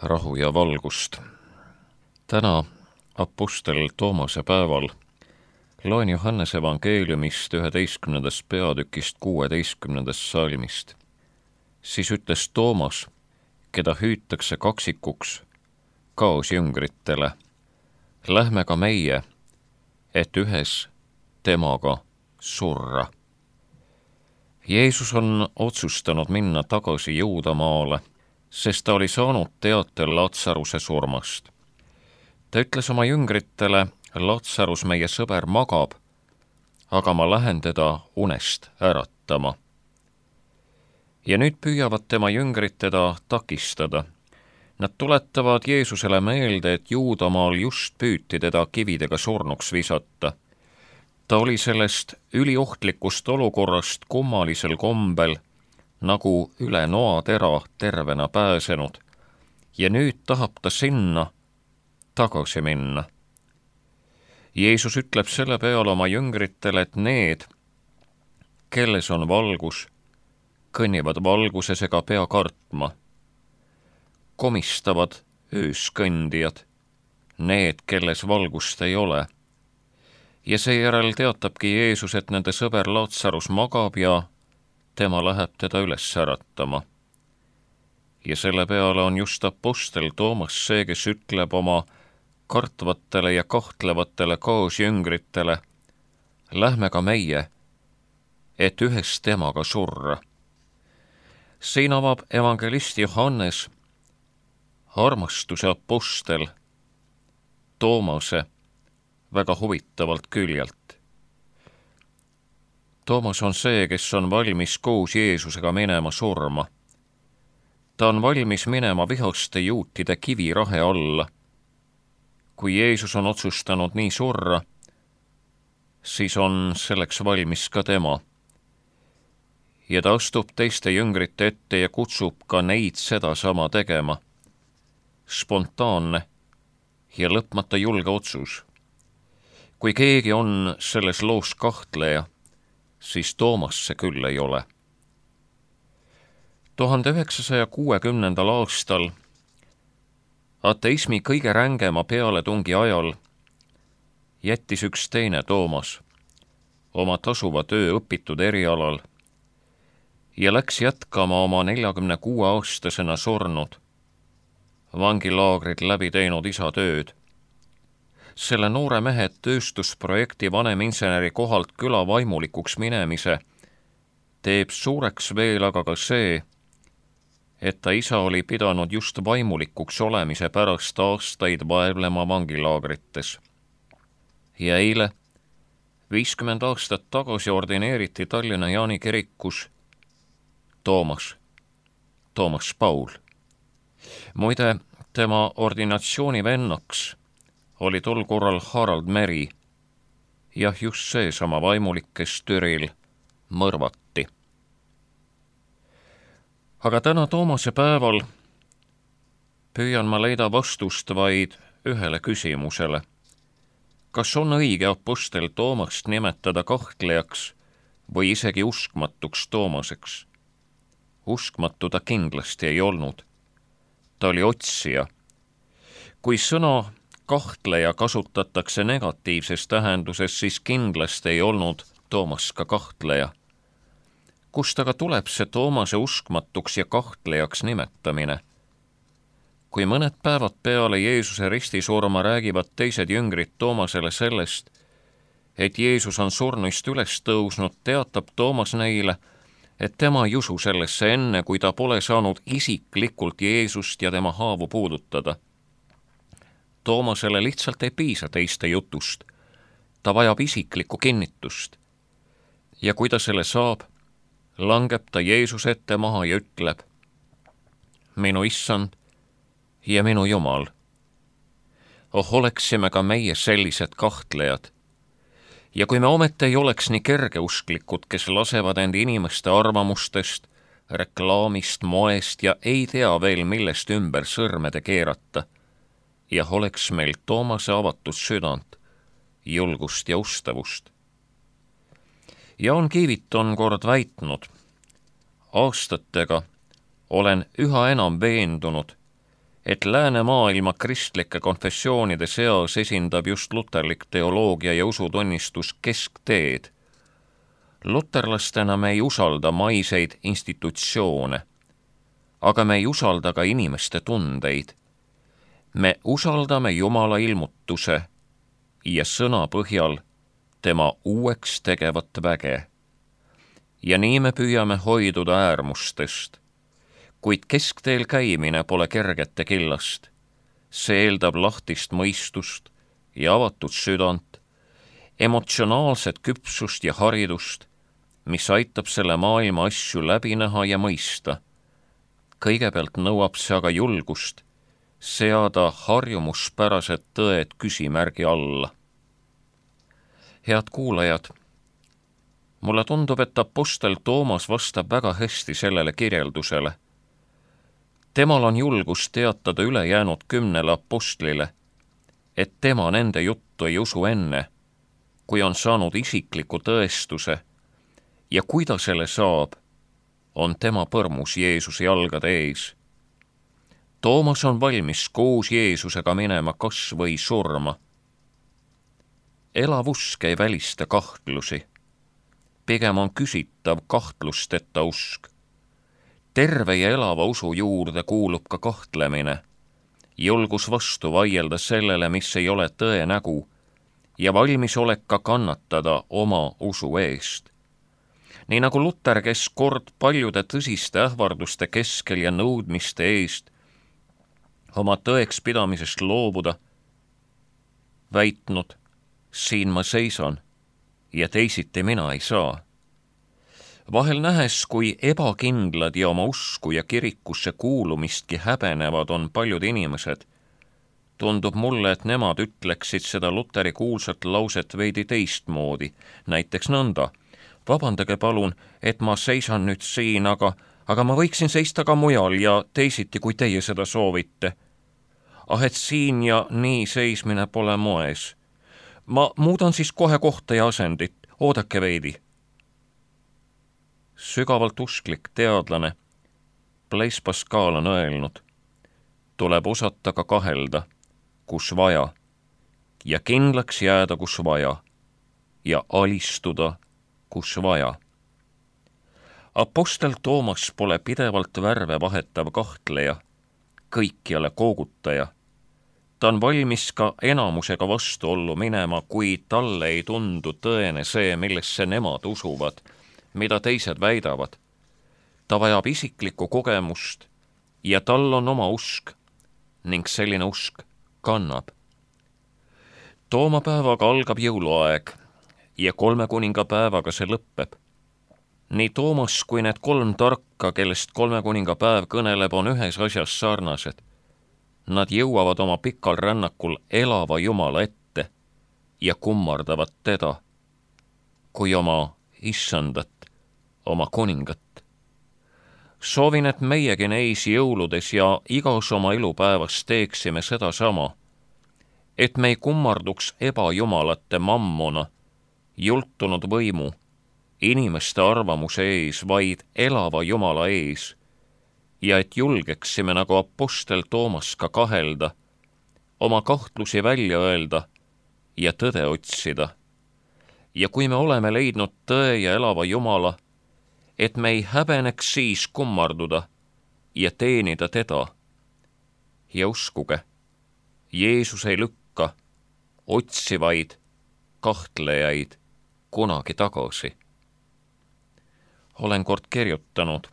rahu ja valgust. Täna apostel Toomase päeval loen Johannese evangeeliumist 11. peatükist 16. salmist. Siis ütles Toomas, keda hüütakse kaksikuks, kaasjüngritele: lähme ka meie, et ühes temaga surra. Jeesus on otsustanud minna tagasi Juudamaale, sest ta oli saanud teate Latsaruse surmast. Ta ütles oma jüngritele: Latsarus, meie sõber, magab, aga ma lähen teda unest äratama. Ja nüüd püüavad tema jüngrid teda takistada. Nad tuletavad Jeesusele meelde, et Juudamaal just püüti teda kividega surnuks visata. Ta oli sellest üliohtlikust olukorrast kummalisel kombel nagu üle noatera tervena pääsenud ja nüüd tahab ta sinna tagasi minna. Jeesus ütleb selle peale oma jüngritele, et need, kelles on valgus, kõnnivad valguses ega pea kartma. Komistavad ööskõndijad, need, kelles valgust ei ole. Ja seejärel teatabki Jeesus, et nende sõber Latsarus magab ja tema läheb teda üles äratama. Ja selle peale on just apostel Toomas see, kes ütleb oma kartvatele ja kahtlevatele kaasjüngritele: lähme ka meie, et ühes temaga surra. Siin avab evangelist Johannes armastuse apostel Toomase väga huvitavalt küljelt. Toomas on see, kes on valmis koos Jeesusega minema surma. Ta on valmis minema vihaste juutide kivirahe alla. Kui Jeesus on otsustanud nii surra, siis on selleks valmis ka tema. Ja ta astub teiste jüngrite ette ja kutsub ka neid sedasama tegema. Spontaanne ja lõpmata julge otsus. Kui keegi on selles loos kahtleja, siis Toomas see küll ei ole. 1960. aastal, ateismi kõige rängema pealetungi ajal, jättis üks teine Toomas oma tasuva töö õpitud erialal ja läks jätkama oma 46-aastasena surnud, vangilaagrid läbi teinud isa tööd. Selle noore mehe tööstusprojekti vaneminseneri kohalt küla vaimulikuks minemise teeb suureks veel aga ka see, et ta isa oli pidanud just vaimulikuks olemise pärast aastaid vaevlema vangilaagrites. Ja eile, 50 aastat tagasi ordineeriti Tallinna Jaani kirikus Toomas Paul. Muide, tema ordinatsiooni vennaks oli tol korral Harald Meri, ja just see sama vaimulik, kes Türil mõrvati. Aga täna Toomase päeval püüan ma leida vastust vaid ühele küsimusele. Kas on õige apostel Toomast nimetada kahtlejaks või isegi uskmatuks Toomaseks? Uskmatu ta kindlasti ei olnud. Ta oli otsija. Kui sõna kahtleja kasutatakse negatiivses tähenduses, siis kindlasti ei olnud Toomas ka kahtleja. Kust aga tuleb see Toomase uskmatuks ja kahtlejaks nimetamine? Kui mõned päevad peale Jeesuse ristisurma räägivad teised jüngrid Toomasele sellest, et Jeesus on surnuist üles tõusnud, teatab Toomas neile, et tema ei usu sellesse enne, kui ta pole saanud isiklikult Jeesust ja tema haavu puudutada. Toomasele lihtsalt ei piisa teiste jutust. Ta vajab isiklikku kinnitust. Ja kui ta selle saab, langeb ta Jeesuse ette maha ja ütleb: minu issand ja minu Jumal. Oleksime ka meie sellised kahtlejad. Ja kui me ometi ei oleks nii kergeusklikud, kes lasevad end inimeste arvamustest, reklaamist, moest ja ei tea veel millest ümber sõrmede keerata, ja oleks meil Toomase avatud südant, julgust ja ustavust. Jaan Kiivit on kord väitnud: aastatega olen üha enam veendunud, et läänemaailma kristlike konfessioonide seas esindab just luterlik teoloogia ja usutunnistus keskteed. Luterlastena me ei usalda maiseid institutsioone, aga me ei usalda ka inimeste tundeid. Me usaldame Jumala ilmutuse ja sõna põhjal tema uueks tegevat väge. Ja nii me püüame hoiduda äärmustest, kuid keskteel käimine pole kergete killast. See eeldab lahtist mõistust ja avatud südant, emotsionaalset küpsust ja haridust, mis aitab selle maailma asju läbi näha ja mõista. Kõigepealt nõuab see aga julgust seada harjumuspärased tõed küsimärgi alla. Head kuulajad, mulle tundub, et apostel Toomas vastab väga hästi sellele kirjeldusele. Temal on julgus teatada ülejäänud 10 apostlile, et tema nende juttu ei usu enne, kui on saanud isikliku tõestuse, ja kui ta selle saab, on tema põrmus Jeesuse jalgade ees. Toomas on valmis koos Jeesusega minema kas või surma. Elav usk ei välista kahtlusi. Pigem on küsitav kahtlusteta usk. Terve ja elava usu juurde kuulub ka kahtlemine, julgus vastu vaielda sellele, mis ei ole tõe nägu, ja valmisolek ka kannatada oma usu eest. Nii nagu Luter, kes kord paljude tõsiste ähvarduste keskel ja nõudmiste eest oma tõeks pidamisest loobuda, väitnud, siin ma seisan ja teisiti mina ei saa. Vahel nähes, kui ebakindlad ja oma usku ja kirikusse kuulumistki häbenevad on paljud inimesed, tundub mulle, et nemad ütleksid seda Luteri kuulsat lauset veidi teistmoodi, näiteks nõnda. Vabandage palun, et ma seisan nüüd siin, aga ma võiksin seista ka mujal ja teisiti, kui teie seda soovite. Et siin ja nii seismine pole moes. Ma muudan siis kohe kohta ja asendit, oodake veidi. Sügavalt usklik teadlane Blaise Pascal on öelnud, tuleb osata ka kahelda, kus vaja, ja kindlaks jääda, kus vaja, ja alistuda, kus vaja. Apostel Toomas pole pidevalt värve vahetav kahtleja, kõikjale koogutaja. Ta on valmis ka enamusega vastuollu minema, kui talle ei tundu tõene see, millesse nemad usuvad, mida teised väidavad. Ta vajab isiklikku kogemust ja tal on oma usk ning selline usk kannab. Toomapäevaga algab jõuluaeg ja 3 kuningapäevaga see lõppeb. Nii Toomas kui need 3 tarka, kellest 3 kuningapäev kõneleb, on ühes asjas sarnased. Nad jõuavad oma pikal rännakul elava Jumala ette ja kummardavad teda kui oma issandat, oma kuningat. Soovin, et meiegi neis jõuludes ja igas oma elupäevas teeksime seda sama, et me ei kummarduks ebajumalate mammona, jultunud võimu, inimeste arvamuse ees, vaid elava Jumala ees, ja et julgeksime nagu apostel Toomas ka kahelda, oma kahtlusi välja öelda ja tõde otsida. Ja kui me oleme leidnud tõe ja elava Jumala, et me ei häbeneks siis kummarduda ja teenida teda. Ja uskuge, Jeesus ei lükka otsivaid kahtlejaid kunagi tagasi. Olen kord kirjutanud,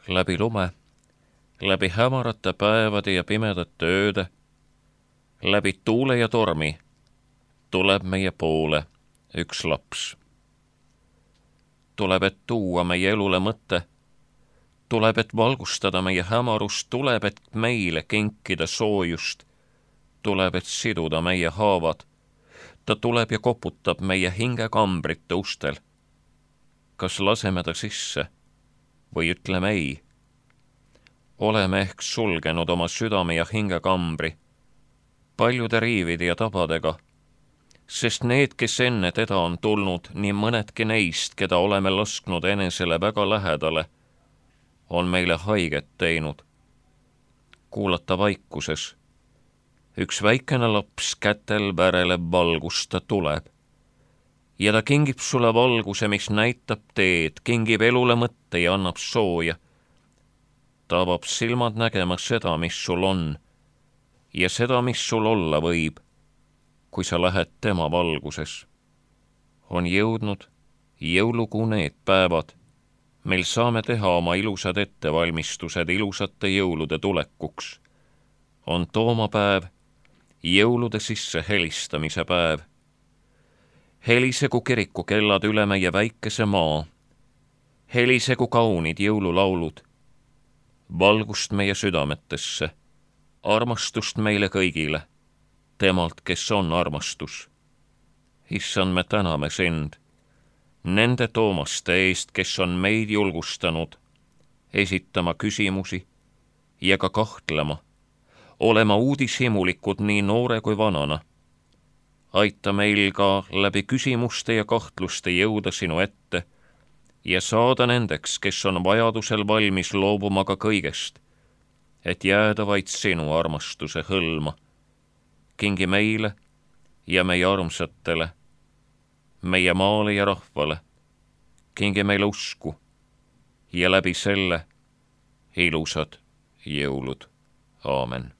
läbi lume, läbi hämarate päevade ja pimedate ööde, läbi tuule ja tormi tuleb meie poole üks laps. Tuleb, et tuua meie elule mõte, tuleb, et valgustada meie hämarust, tuleb, et meile kinkida soojust, tuleb, et siduda meie haavad. Ta tuleb ja koputab meie hingekambrite ustel. Kas laseme ta sisse või ütleme ei? Oleme ehk sulgenud oma südame ja hingekambri paljude riivide ja tabadega, sest need, kes enne teda on tulnud, nii mõnedki neist, keda oleme lasknud enesele väga lähedale, on meile haiget teinud. kuulata vaikuses. Üks väikene laps kätel väreleb valgust ta tuleb. Ja ta kingib sulle valguse, mis näitab teed, kingib elule mõtte ja annab sooja. Ta avab silmad nägema seda, mis sul on ja seda, mis sul olla võib, kui sa lähed tema valguses. On jõudnud jõulukuu need päevad, meil saame teha oma ilusad ettevalmistused ilusate jõulude tulekuks. On toomapäev, jõulude sisse helistamise päev. Helisegu kirikukellad üle meie väikese maa. Helisegu kaunid jõululaulud. Valgust meie südametesse, armastust meile kõigile, temalt, kes on armastus. Issand, me täname sind nende toomaste eest, kes on meid julgustanud esitama küsimusi ja ka kahtlema, olema uudishimulikud nii noore kui vanana. Aita meil ka läbi küsimuste ja kahtluste jõuda sinu ette ja saada nendeks, kes on vajadusel valmis loobuma ka kõigest, et jääda vaid sinu armastuse hõlma. Kingi meile ja meie armsatele, meie maale ja rahvale, kingi meile usku ja läbi selle ilusad jõulud. Aamen.